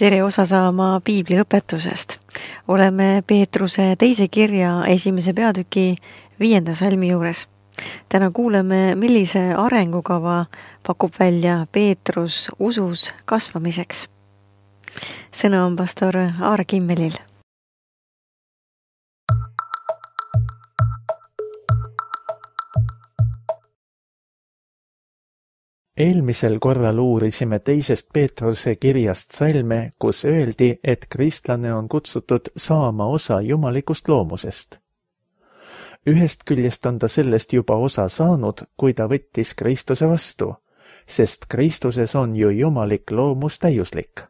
Tere osa saama piibliõpetusest. Oleme Peetruse teise kirja 1. peatüki 5. salmi juures. Täna kuuleme, millise arengukava pakub välja Peetrus usus kasvamiseks. Sõna on pastor Aar Kimmelil. Eelmisel korral uurisime 2. Peetruse kirjast salme, kus öeldi, et kristlane on kutsutud saama osa jumalikust loomusest. Ühest küljest on ta sellest juba osa saanud, kui ta võttis Kristuse vastu, sest Kristuses on ju jumalik loomus täiuslik.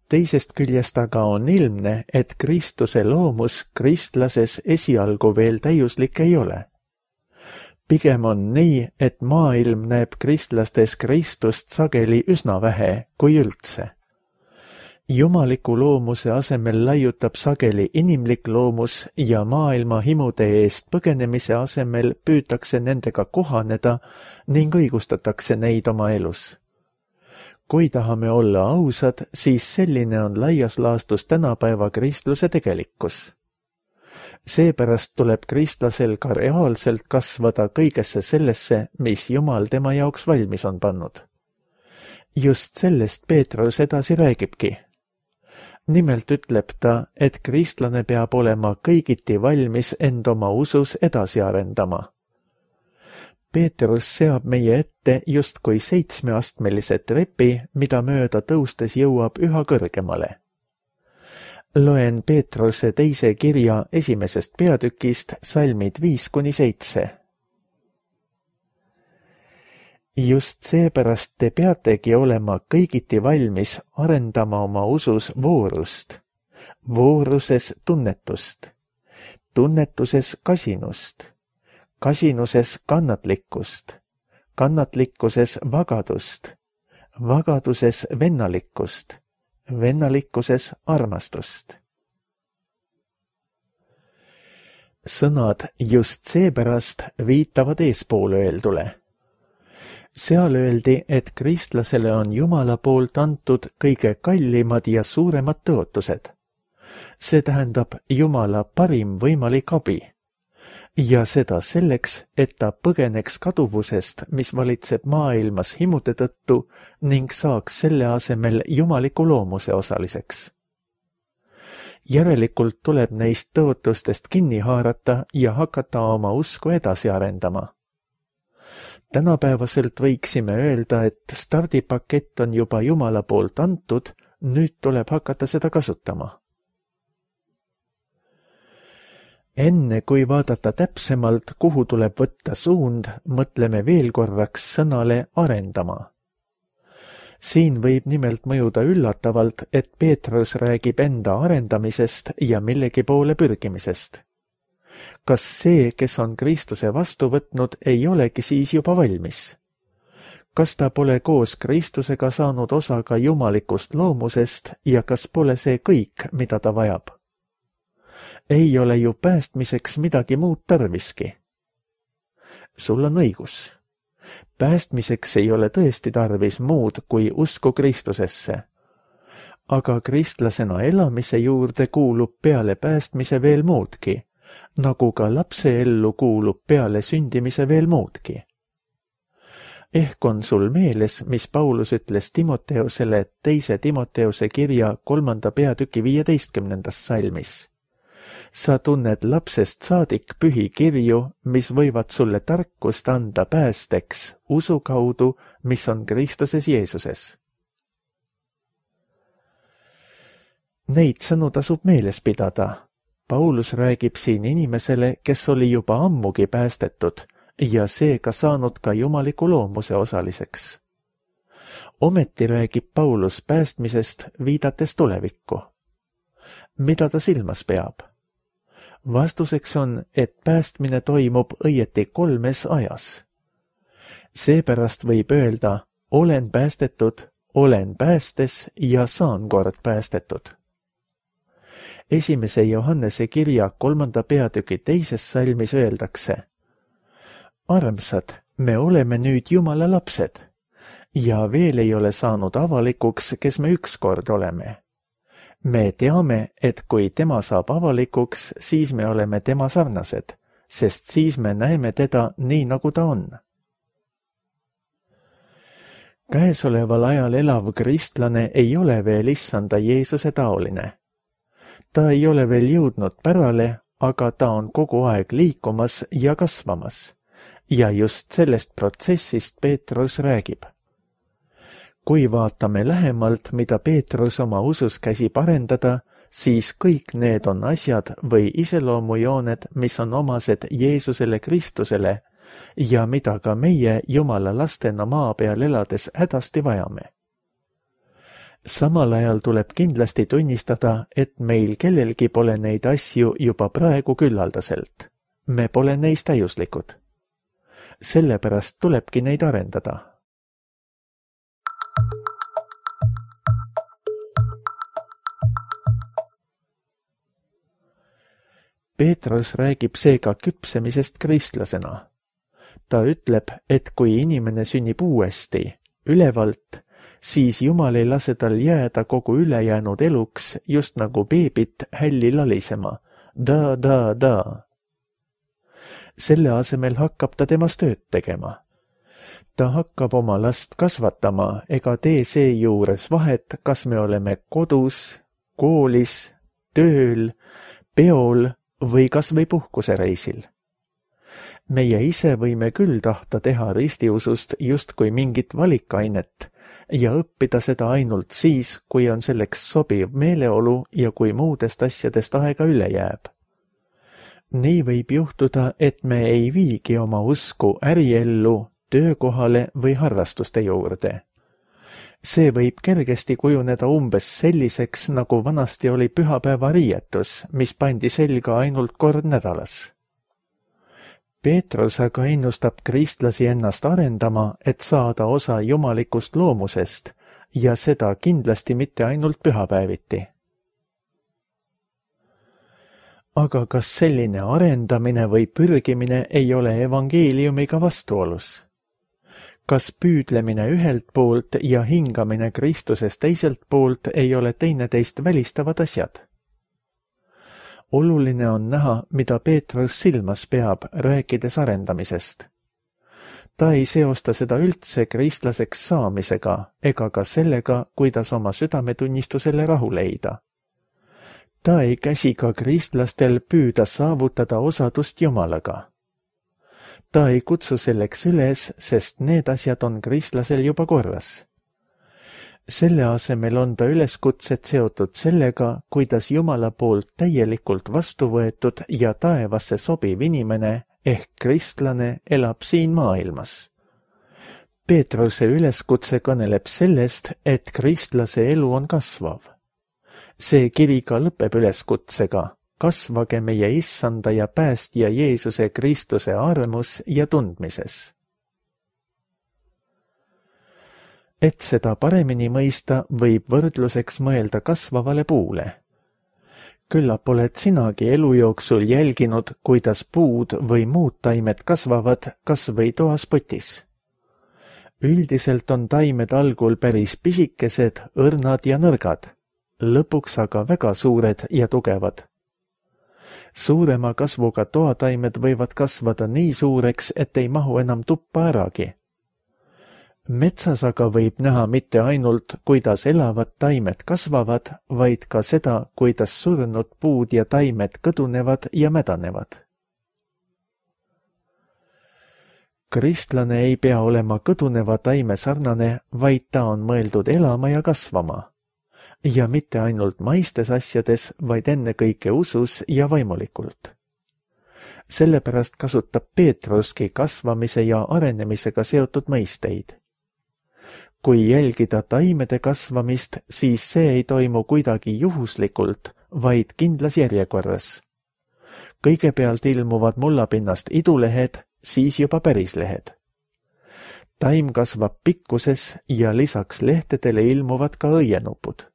Teisest küljest aga on ilmne, et Kristuse loomus kristlases esialgu veel täiuslik ei ole. Pigem on nii, et maailm näeb kristlastes Kristust sageli üsna vähe, kui üldse. Jumaliku loomuse asemel laiutab sageli inimlik loomus ja maailma himude eest põgenemise asemel püütakse nendega kohaneda ning õigustatakse neid oma elus. Kui tahame olla ausad, siis selline on laias laastus tänapäeva kristluse tegelikkus. Seepärast tuleb kristlasel ka reaalselt kasvada kõigesse sellesse, mis Jumal tema jaoks valmis on pannud. Just sellest Peetrus edasi räägibki. Nimelt ütleb ta, et kristlane peab olema kõigiti valmis end oma usus edasi arendama. Peetrus seab meie ette justkui 7-astmelise trepi, mida mööda tõustes jõuab üha kõrgemale. Loen Peetruse teise kirja 1. peatükist salmid 5-7. Just seepärast te peategi olema kõigiti valmis arendama oma usus voorust, vooruses tunnetust, tunnetuses kasinust, kasinuses kannatlikkust, kannatlikkuses vagadust, vagaduses vennalikkust, vennalikkuses armastust. Sõnad just seepärast viitavad eespool öeldule. Seal öeldi, et kristlasele on Jumala poolt antud kõige kallimad ja suuremad tõotused. See tähendab Jumala parim võimalik abi. Ja seda selleks, et ta põgeneks kaduvusest, mis valitseb maailmas himude tõttu ning saaks selle asemel jumaliku loomuse osaliseks. Järelikult tuleb neist tõotustest kinni haarata ja hakata oma usku edasi arendama. Tänapäevaselt võiksime öelda, et stardipakett on juba Jumala poolt antud, nüüd tuleb hakata seda kasutama. Enne kui vaadata täpsemalt, kuhu tuleb võtta suund, mõtleme veel korraks sõnale arendama. Siin võib nimelt mõjuda üllatavalt, et Peetrus räägib enda arendamisest ja millegi poole pürgimisest. Kas see, kes on Kristuse vastu võtnud, ei olegi siis juba valmis? Kas ta pole koos Kristusega saanud osa ka jumalikust loomusest ja kas pole see kõik, mida ta vajab? Ei ole ju päästmiseks midagi muud tarviski. Sul on õigus. Päästmiseks ei ole tõesti tarvis muud kui usku Kristusesse. Aga kristlasena elamise juurde kuulub peale päästmise veel muudki, nagu ka lapse ellu kuulub peale sündimise veel muudki. Ehk on sul meeles, mis Paulus ütles Timoteusele 2. Timoteuse kirja 3. peatüki 15. salmis. Sa tunned lapsest saadik pühi kirju, mis võivad sulle tarkust anda päästeks usu kaudu, mis on Kristuses Jeesuses. Neid sõnu tasub meeles pidada. Paulus räägib siin inimesele, kes oli juba ammugi päästetud ja seega saanud ka jumaliku loomuse osaliseks. Ometi räägib Paulus päästmisest viidates tulevikku. Mida ta silmas peab? Vastuseks on, et päästmine toimub õieti 3 ajas. Seepärast võib öelda, olen päästetud, olen päästes ja saan kord päästetud. 1. Johannese kirja 3. peatüki 2. salmis öeldakse: Armsad, me oleme nüüd Jumala lapsed ja veel ei ole saanud avalikuks, kes me ükskord oleme. Me teame, et kui tema saab avalikuks, siis me oleme tema sarnased, sest siis me näeme teda nii, nagu ta on. Käesoleval ajal elav kristlane ei ole veel issanda Jeesuse taoline. Ta ei ole veel jõudnud pärale, aga ta on kogu aeg liikumas ja kasvamas. Ja just sellest protsessist Peetrus räägib. Kui vaatame lähemalt, mida Peetrus oma usus käsib arendada, siis kõik need on asjad või iseloomujooned, mis on omased Jeesusele Kristusele ja mida ka meie Jumala lastena maa peal elades hädasti vajame. Samal ajal tuleb kindlasti tunnistada, et meil kellelgi pole neid asju juba praegu küllaldaselt. Me pole neist täiuslikud. Sellepärast tulebki neid arendada. Peetrus räägib seega küpsemisest kristlasena. Ta ütleb, et kui inimene sünnib uuesti, ülevalt, siis Jumal ei lase tal jääda kogu ülejäänud eluks just nagu beebit hälli lalisema. Da. Selle asemel hakkab ta temas tööd tegema. Ta hakkab oma last kasvatama ega tee seejuures vahet, kas me oleme kodus, koolis, tööl, peol või kas või puhkusereisil. Meie ise võime küll tahta teha ristiusust justkui mingit valikainet ja õppida seda ainult siis, kui on selleks sobiv meeleolu ja kui muudest asjadest aega üle jääb. Nii võib juhtuda, et me ei viigi oma usku äriellu, töökohale või harrastuste juurde. See võib kergesti kujuneda umbes selliseks, nagu vanasti oli pühapäeva riietus, mis pandi selga ainult kord nädalas. Peetrus aga ennustab kristlasi ennast arendama, et saada osa jumalikust loomusest ja seda kindlasti mitte ainult pühapäeviti. Aga kas selline arendamine või pürgimine ei ole evangeeliumiga vastuolus? Kas püüdlemine ühelt poolt ja hingamine Kristusest teiselt poolt ei ole teineteist välistavad asjad? Oluline on näha, mida Peetrus silmas peab, rääkides arendamisest. Ta ei seosta seda üldse kristlaseks saamisega ega ka sellega, kuidas oma südametunnistusele rahu leida. Ta ei käsi ka kristlastel püüda saavutada osadust Jumalaga. Ta ei kutsu selleks üles, sest need asjad on kristlasel juba korras. Selle asemel on ta üleskutsed seotud sellega, kuidas Jumala poolt täielikult vastu võetud ja taevasse sobiv inimene ehk kristlane elab siin maailmas. Peetruse üleskutse kõneleb sellest, et kristlase elu on kasvav. See kiri ka lõpeb üleskutsega, kasvage meie issanda ja päästja Jeesuse Kristuse armus ja tundmises. Et seda paremini mõista, võib võrdluseks mõelda kasvavale puule. Küllap oled sinagi elu jooksul jälginud, kuidas puud või muud taimed kasvavad kas või toas potis. Üldiselt on taimed algul päris pisikesed, õrnad ja nõrgad, lõpuks aga väga suured ja tugevad. Suurema kasvuga toataimed võivad kasvada nii suureks, et ei mahu enam tuppa äragi. Metsas aga võib näha mitte ainult, kuidas elavad taimed kasvavad, vaid ka seda, kuidas surnud puud ja taimed kõdunevad ja mädanevad. Kristlane ei pea olema kõduneva taime sarnane, vaid ta on mõeldud elama ja kasvama. Ja mitte ainult maistes asjades, vaid ennekõike usus ja vaimulikult. Sellepärast kasutab Peetruski kasvamise ja arenemisega seotud mõisteid. Kui jälgida taimede kasvamist, siis see ei toimu kuidagi juhuslikult, vaid kindlas järjekorras. Kõigepealt ilmuvad mullapinnast idulehed, siis juba pärislehed. Taim kasvab pikkuses ja lisaks lehtedele ilmuvad ka õienupud.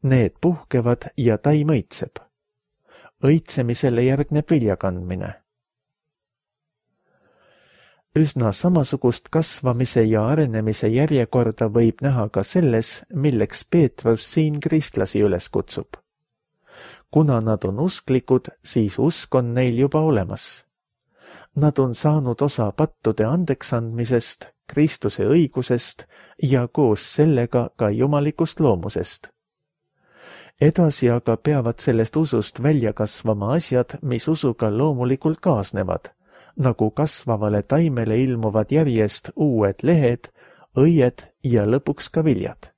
Need puhkevad ja taim õitseb. Õitsemisele järgneb viljakandmine. Üsna samasugust kasvamise ja arenemise järjekorda võib näha ka selles, milleks Peetrus siin kristlasi üles kutsub. Kuna nad on usklikud, siis usk on neil juba olemas. Nad on saanud osa pattude andeksandmisest, Kristuse õigusest ja koos sellega ka jumalikust loomusest. Edasi aga peavad sellest usust välja kasvama asjad, mis usuga loomulikult kaasnevad, nagu kasvavale taimele ilmuvad järjest uued lehed, õied ja lõpuks ka viljad.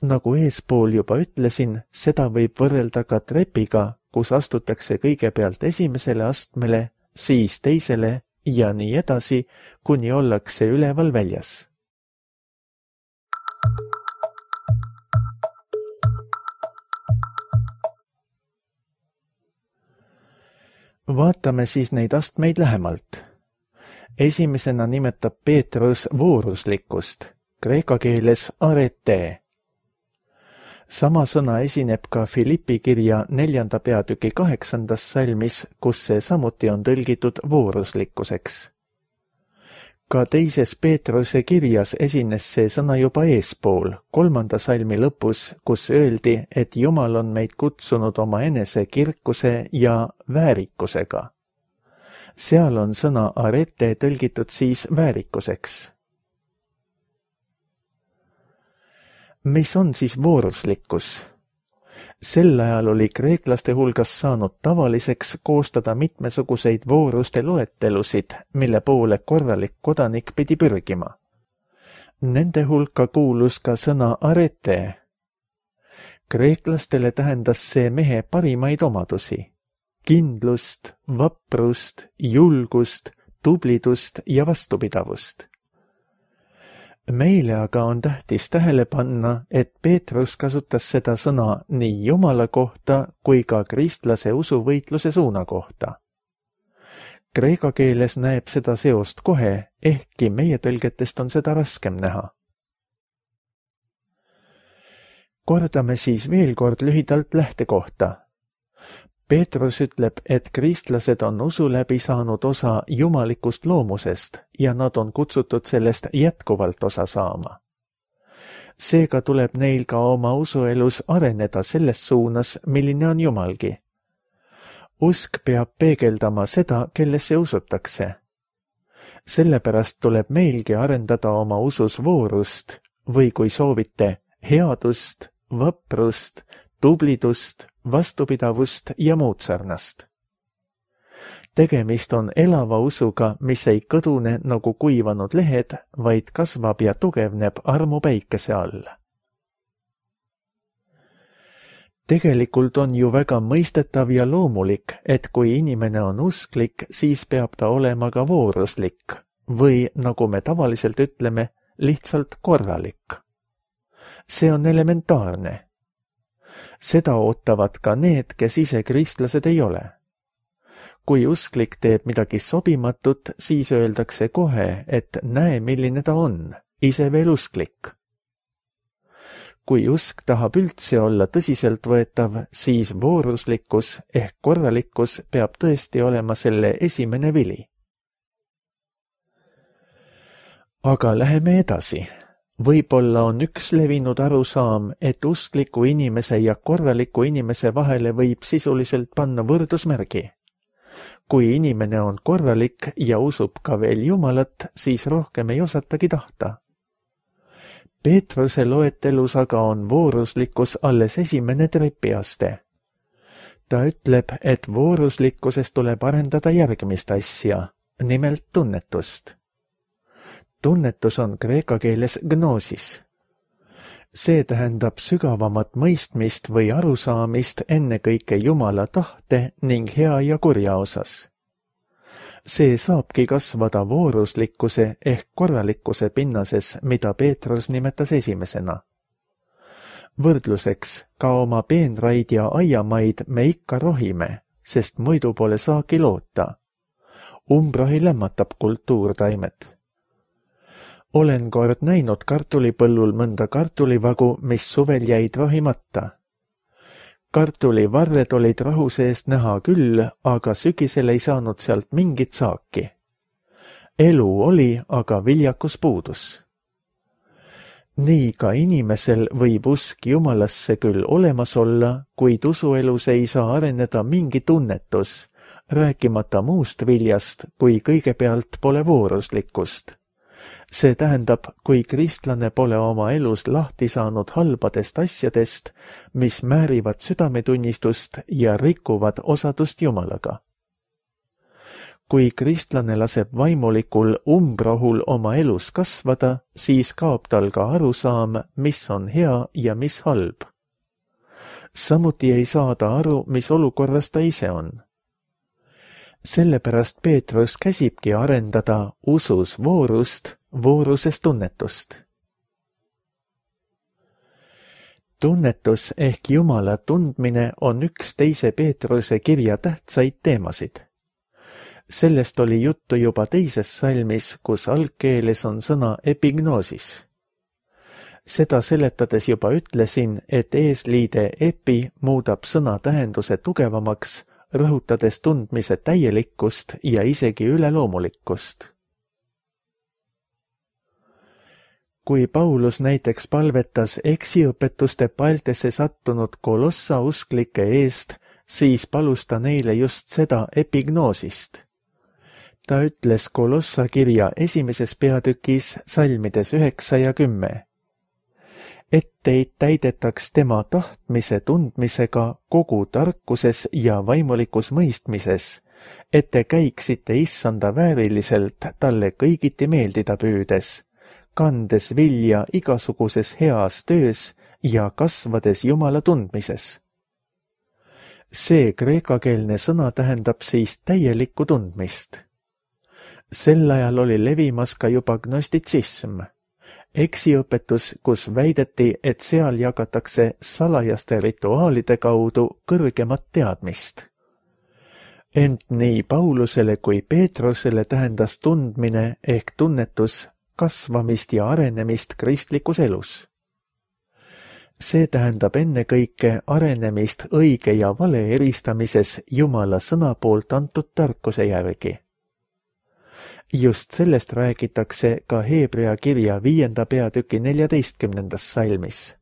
Nagu eespool juba ütlesin, seda võib võrrelda ka trepiga, kus astutakse kõigepealt esimesele astmele, siis teisele ja nii edasi, kuni ollakse üleval väljas. Vaatame siis neid astmeid lähemalt. Esimesena nimetab Peetrus vooruslikkust, kreeka keeles arete. Sama sõna esineb ka Filippi kirja 4. peatüki 8. salmis, kus see samuti on tõlgitud vooruslikkuseks. Ka teises Peetruse kirjas esines see sõna juba eespool, 3. salmi lõpus, kus öeldi, et Jumal on meid kutsunud oma enese kirkuse ja väärikusega. Seal on sõna arete tõlgitud siis väärikuseks. Mis on siis vooruslikkus? Sel ajal oli kreeklaste hulgas saanud tavaliseks koostada mitmesuguseid vooruste loetelusid, mille poole korralik kodanik pidi pürgima. Nende hulka kuulus ka sõna arete. Kreeklastele tähendas see mehe parimaid omadusi: kindlust, vaprust, julgust, tublidust ja vastupidavust. Meile aga on tähtis tähele panna, et Peetrus kasutas seda sõna nii Jumala kohta kui ka kristlase usuvõitluse suuna kohta. Kreeka keeles näeb seda seost kohe, ehkki meie tõlgetest on seda raskem näha. Kordame siis veel kord lühidalt lähtekohta. Peetrus ütleb, et kristlased on usu läbi saanud osa jumalikust loomusest ja nad on kutsutud sellest jätkuvalt osa saama. Seega tuleb neil ka oma usuelus areneda selles suunas, milline on Jumalgi. Usk peab peegeldama seda, kellesse usutakse. Sellepärast tuleb meilgi arendada oma usus voorust või kui soovite, headust, vaprust, tublidust, vastupidavust ja muud sarnast. Tegemist on elava usuga, mis ei kõdune nagu kuivanud lehed, vaid kasvab ja tugevneb armu päikese all. Tegelikult on ju väga mõistetav ja loomulik, et kui inimene on usklik, siis peab ta olema ka vooruslik või, nagu me tavaliselt ütleme, lihtsalt korralik. See on elementaarne. Seda ootavad ka need, kes ise kristlased ei ole. Kui usklik teeb midagi sobimatut, siis öeldakse kohe, et näe, milline ta on, ise veel usklik. Kui usk tahab üldse olla tõsiseltvõetav, siis vooruslikkus ehk korralikkus peab tõesti olema selle esimene vili. Aga läheme edasi. Võib-olla on üks levinud arusaam, et uskliku inimese ja korraliku inimese vahele võib sisuliselt panna võrdusmärgi. Kui inimene on korralik ja usub ka veel Jumalat, siis rohkem ei osatagi tahta. Peetruse loetelus aga on vooruslikkus alles esimene trepiaste. Ta ütleb, et vooruslikkuses tuleb arendada järgmist asja, nimelt tunnetust. Tunnetus on kreeka keeles gnoosis. See tähendab sügavamat mõistmist või arusaamist ennekõike Jumala tahte ning hea ja kurja osas. See saabki kasvada vooruslikkuse ehk korralikkuse pinnases, mida Peetrus nimetas esimesena. Võrdluseks, ka oma peenraid ja aiamaid me ikka rohime, sest muidu pole saagi loota. Umbrohi lämmatab kultuurtaimet. Olen kord näinud kartulipõllul mõnda kartulivagu, mis suvel jäid rohimata. Kartulivarred olid rahu seest näha küll, aga sügisel ei saanud sealt mingit saaki. elu oli, aga viljakus puudus. Nii ka inimesel võib usk Jumalasse küll olemas olla, kuid usuelus ei saa areneda mingi tunnetus, rääkimata muust viljast, kui kõigepealt pole vooruslikkust. See tähendab, kui kristlane pole oma elus lahti saanud halbadest asjadest, mis määrivad südametunnistust ja rikuvad osadust Jumalaga. Kui kristlane laseb vaimulikul umbrohul oma elus kasvada, siis kaob tal ka arusaam, mis on hea ja mis halb. Samuti ei saa ta aru, mis olukorras ta ise on. Sellepärast Peetrus käsibki arendada usus voorust, vooruses tunnetust. Tunnetus ehk Jumala tundmine on üks teise Peetruse kirja tähtsaid teemasid. Sellest oli juttu juba teises salmis, kus algkeeles on sõna epignoosis. Seda seletades juba ütlesin, et eesliide epi muudab sõna tähenduse tugevamaks, rõhutades tundmise täielikkust ja isegi üleloomulikkust. Kui Paulus näiteks palvetas eksiõpetuste paeltesse sattunud Kolossa usklike eest, siis palus ta neile just seda epignoosist. Ta ütles Kolossa kirja 1. peatükis salmides 9 ja 10. Et teid täidetaks tema tahtmise tundmisega kogu tarkuses ja vaimulikus mõistmises, et te käiksite issanda vääriliselt talle kõigiti meeldida püüdes, kandes vilja igasuguses heas töös ja kasvades Jumala tundmises. See kreekakeelne sõna tähendab siis täielikku tundmist. Sel ajal oli levimas ka juba gnostitsism, eksiõpetus, kus väideti, et seal jagatakse salajaste rituaalide kaudu kõrgemat teadmist. Ent nii Paulusele kui Peetrusele tähendas tundmine ehk tunnetus kasvamist ja arenemist kristlikus elus. See tähendab ennekõike arenemist õige ja vale eristamises Jumala sõna poolt antud tarkuse järgi. Just sellest räägitakse ka Heebrea kirja 5. peatüki 14. salmis.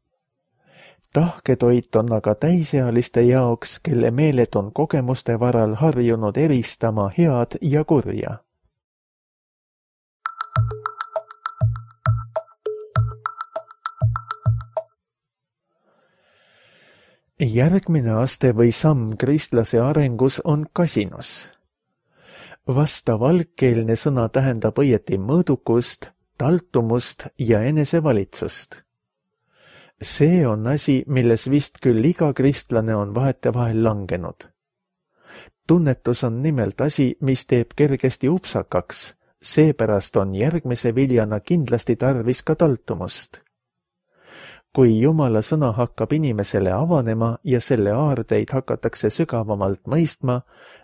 Tahketoit on aga täisealiste jaoks, kelle meeled on kogemuste varal harjunud eristama head ja kurja. Järgmine aste või samm kristlase arengus on kasinus. Vastav algkeelne sõna tähendab õieti mõõdukust, taltumust ja enesevalitsust. See on asi, milles vist küll iga kristlane on vahetevahel langenud. Tunnetus on nimelt asi, mis teeb kergesti upsakaks, seepärast on järgmise viljana kindlasti tarvis ka taltumust. Kui Jumala sõna hakkab inimesele avanema ja selle aardeid hakatakse sügavamalt mõistma,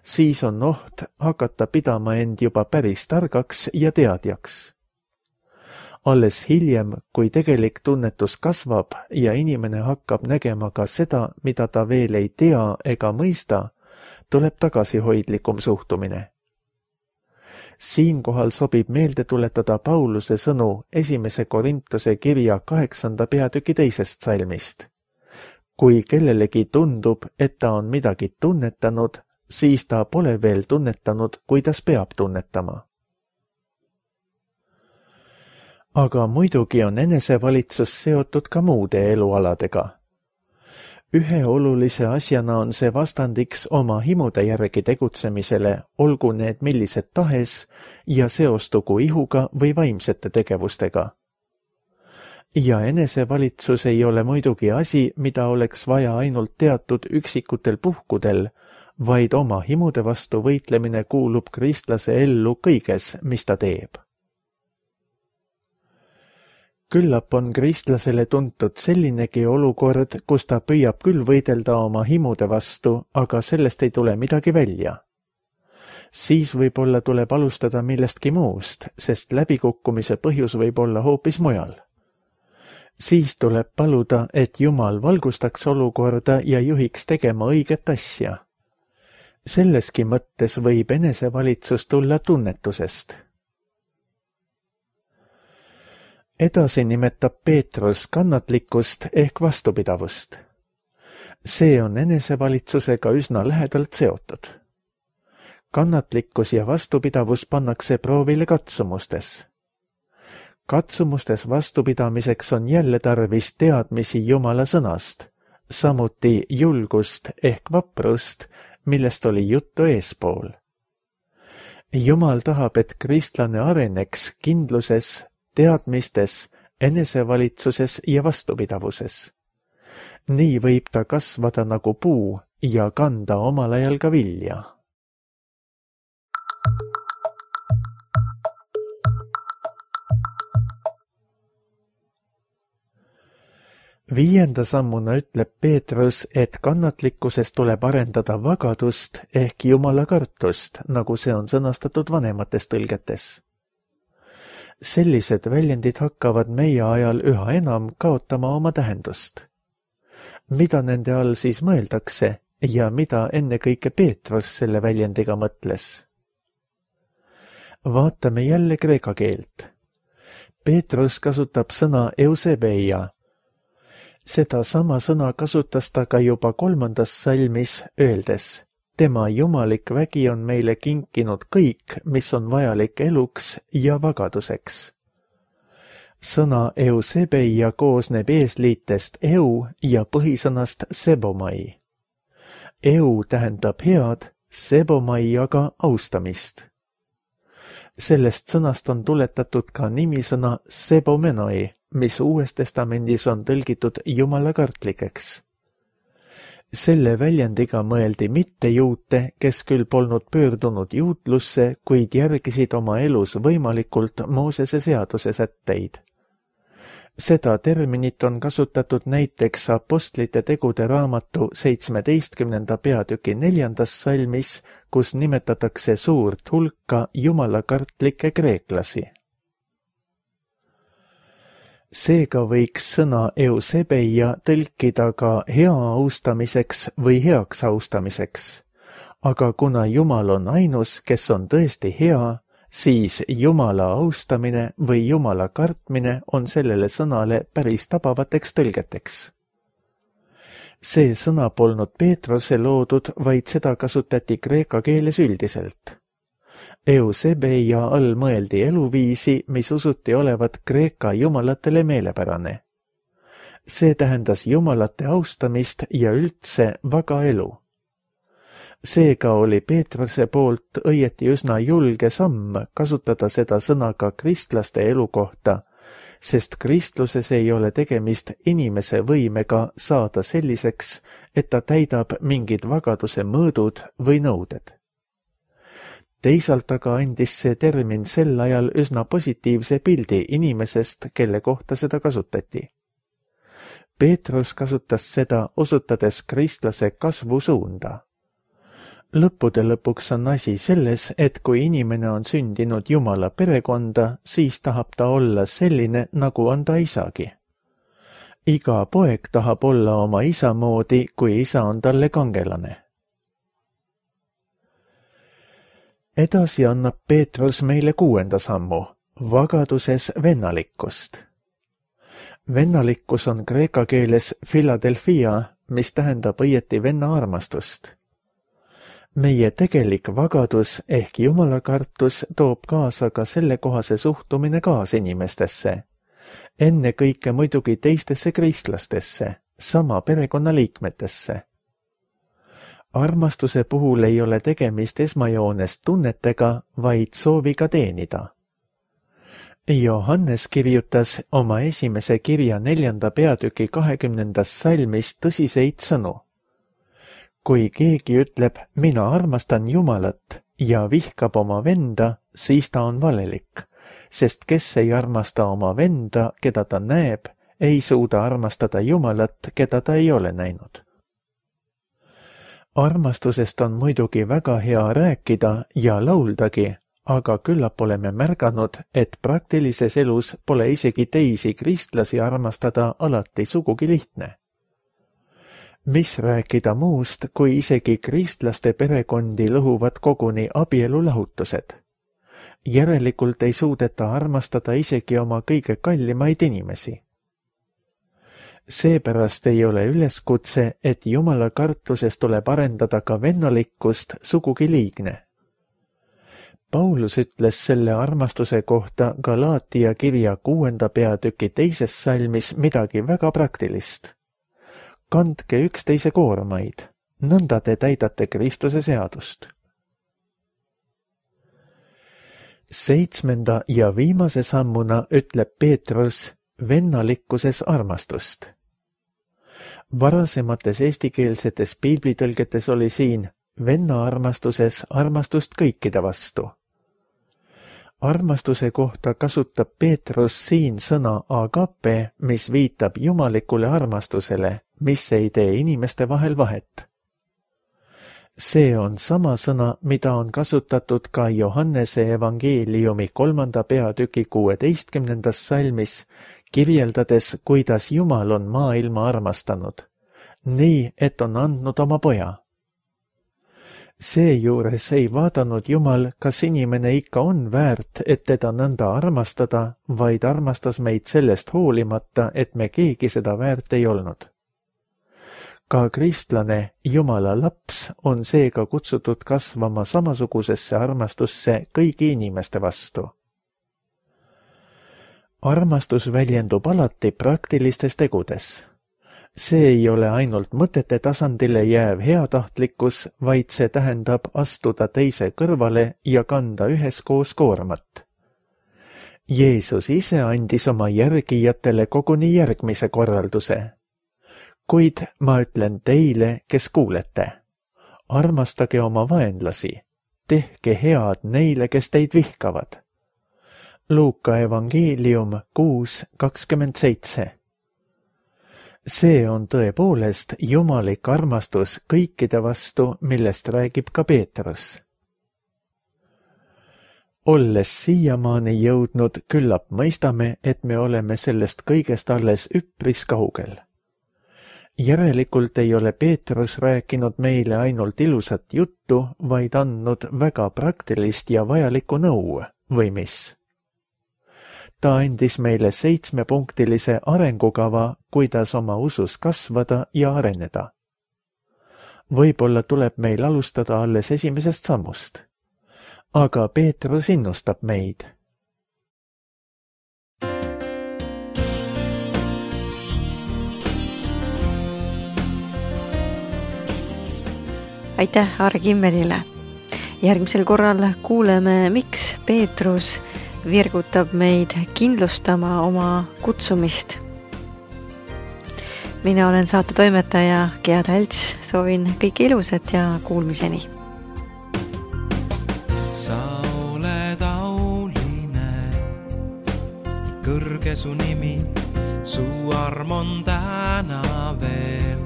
siis on oht hakata pidama end juba päris targaks ja teadjaks. Alles hiljem, kui tegelik tunnetus kasvab ja inimene hakkab nägema ka seda, mida ta veel ei tea ega mõista, tuleb tagasihoidlikum suhtumine. Siinkohal sobib meelde tuletada Pauluse sõnu 1. Korintuse kirja 8. peatüki 2. salmist. Kui kellelegi tundub, et ta on midagi tunnetanud, siis ta pole veel tunnetanud, kuidas peab tunnetama. Aga muidugi on enesevalitsus seotud ka muude elualadega. Ühe olulise asjana on see vastandiks oma himude järgi tegutsemisele, olgu need millised tahes ja seostugu ihuga või vaimsete tegevustega. Ja enesevalitsus ei ole muidugi asi, mida oleks vaja ainult teatud üksikutel puhkudel, vaid oma himude vastu võitlemine kuulub kristlase ellu kõiges, mis ta teeb. Küllap on kristlasele tuntud sellinegi olukord, kus ta püüab küll võidelda oma himude vastu, aga sellest ei tule midagi välja. Siis võib-olla tuleb alustada millestki muust, sest läbikukkumise põhjus võib olla hoopis mujal. Siis tuleb paluda, et Jumal valgustaks olukorda ja juhiks tegema õiget asja. Selleski mõttes võib enesevalitsus tulla tunnetusest. Edasi nimetab Peetrus kannatlikkust ehk vastupidavust. See on enesevalitsusega üsna lähedalt seotud. Kannatlikkus ja vastupidavus pannakse proovile katsumustes. Katsumustes vastupidamiseks on jälle tarvis teadmisi Jumala sõnast, samuti julgust ehk vaprust, millest oli juttu eespool. Jumal tahab, et kristlane areneks kindluses, teadmistes, enesevalitsuses ja vastupidavuses. Nii võib ta kasvada nagu puu ja kanda omal ajal ka vilja. Viienda sammuna ütleb Peetrus, et kannatlikkuses tuleb arendada vagadust ehk Jumala kartust, nagu see on sõnastatud vanemates tõlgetes. Sellised väljendid hakkavad meie ajal üha enam kaotama oma tähendust. Mida nende all siis mõeldakse ja mida ennekõike Peetrus selle väljendiga mõtles? Vaatame jälle kreeka keelt. Peetrus kasutab sõna eusebeia. Seda sama sõna kasutas ta ka juba 3. salmis, öeldes: tema jumalik vägi on meile kinkinud kõik, mis on vajalik eluks ja vagaduseks. Sõna eusebeia koosneb eesliitest eu ja põhisõnast sebomai. Eu tähendab head, sebomai aga austamist. Sellest sõnast on tuletatud ka nimisõna sebomenoi, mis Uues Testamendis on tõlgitud Jumala kartlikeks. Selle väljendiga mõeldi mitte juute, kes küll polnud pöördunud juutlusse, kuid järgisid oma elus võimalikult Moosese seaduse sätteid. Seda terminit on kasutatud näiteks Apostlite tegude raamatu 17. peatüki 4. salmis, kus nimetatakse suurt hulka jumalakartlikke kreeklasi. Seega võiks sõna eusebeia tõlkida ka hea austamiseks või heaks austamiseks, aga kuna Jumal on ainus, kes on tõesti hea, siis Jumala austamine või Jumala kartmine on sellele sõnale päris tabavateks tõlgeteks. See sõna polnud Peetruse loodud, vaid seda kasutati kreeka keeles üldiselt. Eusebeia all mõeldi eluviisi, mis usuti olevat kreeka jumalatele meelepärane. See tähendas jumalate austamist ja üldse vaga elu. Seega oli Peetruse poolt õieti üsna julge samm kasutada seda sõna ka kristlaste elu kohta, sest kristluses ei ole tegemist inimese võimega saada selliseks, et ta täidab mingid vagaduse mõõdud või nõuded. Teisalt aga andis see termin sel ajal üsna positiivse pildi inimesest, kelle kohta seda kasutati. Peetrus kasutas seda, osutades kristlase kasvusuunda. Lõppude lõpuks on asi selles, et kui inimene on sündinud Jumala perekonda, siis tahab ta olla selline, nagu on ta isagi. Iga poeg tahab olla oma isa moodi, kui isa on talle kangelane. Edasi annab Peetrus meile 6. sammu, vagaduses vennalikkust. Vennalikkus on kreeka keeles Philadelphia, mis tähendab õieti venna armastust. Meie tegelik vagadus ehk jumalakartus toob kaasa ka sellekohase suhtumine kaasinimestesse, ennekõike muidugi teistesse kristlastesse, sama perekonnaliikmetesse. Armastuse puhul ei ole tegemist esmajoones tunnetega, vaid sooviga teenida. Johannes kirjutas oma esimese kirja 4. peatüki 20. salmis tõsiseid sõnu. Kui keegi ütleb, mina armastan Jumalat ja vihkab oma venda, siis ta on valelik, sest kes ei armasta oma venda, keda ta näeb, ei suuda armastada Jumalat, keda ta ei ole näinud. Armastusest on muidugi väga hea rääkida ja lauldagi, aga küllap oleme märganud, et praktilises elus pole isegi teisi kristlasi armastada alati sugugi lihtne. Mis rääkida muust, kui isegi kristlaste perekondi lõhuvad koguni abielulahutused. Järelikult ei suudeta armastada isegi oma kõige kallimaid inimesi. Seepärast ei ole üleskutse, et Jumala kartuses tuleb arendada ka vennalikkust sugugi liigne. Paulus ütles selle armastuse kohta Galaatia kirja 6. peatüki 2. salmis midagi väga praktilist. Kandke üksteise koormaid, nõnda te täidate Kristuse seadust. 7. ja viimase sammuna ütleb Peetrus vennalikkuses armastust. Varasemates eestikeelsetes piiblitõlgetes oli siin venna armastuses armastust kõikide vastu. Armastuse kohta kasutab Peetrus siin sõna agape, mis viitab jumalikule armastusele, mis ei tee inimeste vahel vahet. See on sama sõna, mida on kasutatud ka Johannese evangeeliumi 3. peatüki 16. salmis, kirjeldades, kuidas Jumal on maailma armastanud, nii et on andnud oma poja. Seejuures ei vaadanud Jumal, kas inimene ikka on väärt, et teda nõnda armastada, vaid armastas meid sellest hoolimata, et me keegi seda väärt ei olnud. Ka kristlane, Jumala laps, on seega kutsutud kasvama samasugusesse armastusse kõigi inimeste vastu. Armastus väljendub alati praktilistes tegudes. See ei ole ainult mõtete tasandile jääv heatahtlikkus, vaid see tähendab astuda teise kõrvale ja kanda üheskoos koormat. Jeesus ise andis oma järgijatele koguni järgmise korralduse. Kuid ma ütlen teile, kes kuulete, armastage oma vaenlasi, tehke head neile, kes teid vihkavad. Luuka evangeelium 6:27. See on tõepoolest jumalik armastus kõikide vastu, millest räägib ka Peetrus. Olles siiamaani jõudnud, küllap mõistame, et me oleme sellest kõigest alles üpris kaugel. Järelikult ei ole Peetrus rääkinud meile ainult ilusat juttu, vaid andnud väga praktilist ja vajalikku nõu, või mis? Ta andis meile 7-punktilise arengukava, kuidas oma usus kasvada ja areneda. Võib-olla tuleb meil alustada alles esimesest sammust. Aga Peetrus innustab meid. Aitäh Aare Kimmelile. Järgmisel korral kuuleme, miks Peetrus virgutab meid kindlustama oma kutsumist. Mina olen saate toimetaja Gea Talts, soovin kõike ilusat ja kuulmiseni. Sa oled auline, kõrge su nimi, su arm on täna veel.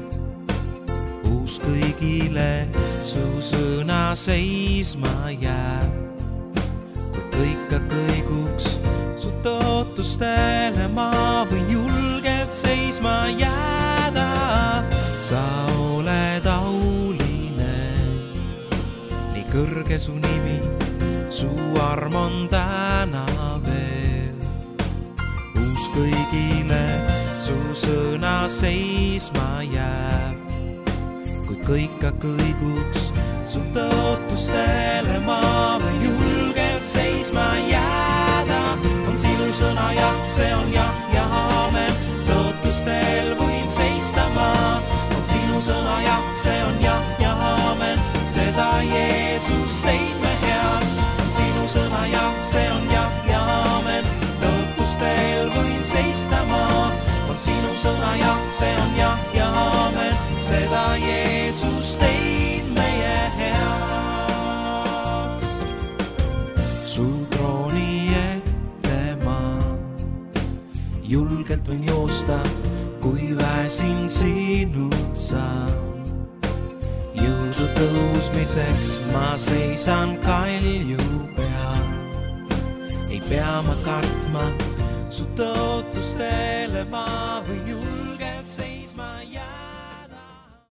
Uus kõigile su sõna seisma jääb. Kõika kõiguks su tootustele ma võin julgelt seisma jääda. Sa oled auline, nii kõrge su nimi, su arm on täna veel. Uus kõigile su sõna seisma jääb. Kui kõika kõiguks su tootustele ma võin julgelt seisma jääda. On sinu sõna jah, see on jah ja aamen. Tootustel võin seista ma. On sinu sõna jah, see on jah ja aamen. Seda Jeesus teid me heas. On sinu sõna jah, see on jah ja aamen. Tootustel võin seista ma. On sinu sõna jah, see on jah ja aamen. Seda Jeesus teid meie heaks. Su trooni ette ma julgelt võin joosta, kui väsin sinult saan. Jõudu tõusmiseks ma seisan kalju peal. Ei pea ma kartma, su tootustele ma võin julgelt